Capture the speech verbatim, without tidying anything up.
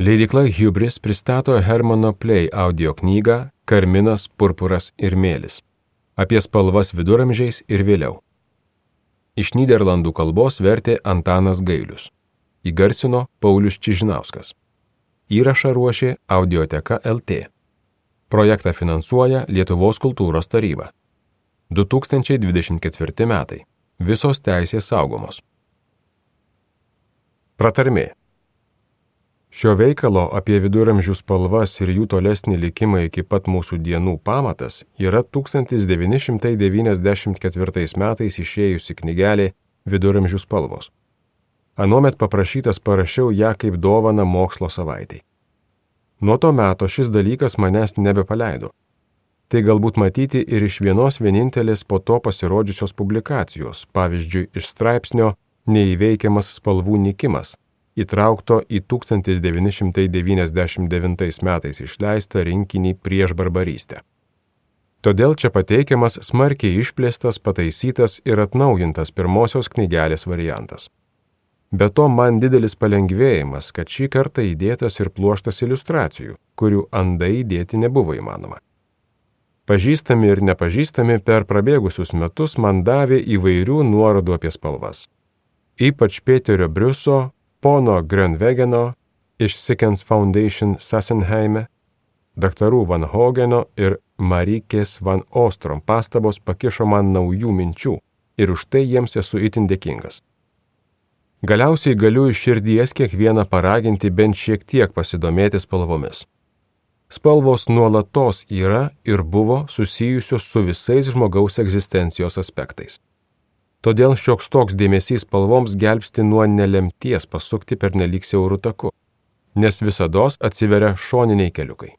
Leidykla Hubris pristato Hermano Play audio knygą Karminas, purpuras ir mėlis apie spalvas viduramžiais ir vėliau. Iš Nyderlandų kalbos vertė Antanas Gailius. Įgarsino Paulius Čižinauskas. Įrašą ruošė Audioteka L T. Projektą finansuoja Lietuvos kultūros taryba. du tūkstančiai dvidešimt ketvirti metai. Visos teisės saugomos. Pratarmė. Šio veikalo apie viduramžių spalvas ir jų tolesnį likimą iki pat mūsų dienų pamatas yra tūkstantis devyni šimtai devyniasdešimt ketvirtais metais išėjusi knygelė Viduramžių spalvos. Anuomet paprašytas parašiau ją kaip dovaną mokslo savaitei. Nuo to meto šis dalykas manęs nebepaleido. Tai galbūt matyti ir iš vienos vienintelės po to pasirodžiusios publikacijos, pavyzdžiui, iš straipsnio Neįveikiamas spalvų nykimas, įtraukto į tūkstantis devyni šimtai devyniasdešimt devintais metais išleistą rinkinį Prieš barbarystę. Todėl čia pateikiamas smarkiai išplėstas, pataisytas ir atnaujintas pirmosios knygelės variantas. Be to man didelis palengvėjimas, kad šį kartą įdėtas ir pluoštas iliustracijų, kurių andai įdėti nebuvo įmanoma. Pažįstami ir nepažįstami per prabėgusius metus man davė įvairių nuorodų apie spalvas. Ypač Peterio Briuso, pono Grönvegeno iš Sickens Foundation Sassenheime, daktarų Van Hogeno ir Marykės Van Ostrom pastabos pakišo man naujų minčių ir už tai jiems esu itin dėkingas. Galiausiai galiu iš širdies kiekvieną paraginti bent šiek tiek pasidomėti spalvomis. Spalvos nuolatos yra ir buvo susijusios su visais žmogaus egzistencijos aspektais. Todėl šioks toks dėmesys spalvoms gelbsti nuo nelemties pasukti pernelyg siauru taku, nes visados atsiveria šoniniai keliukai.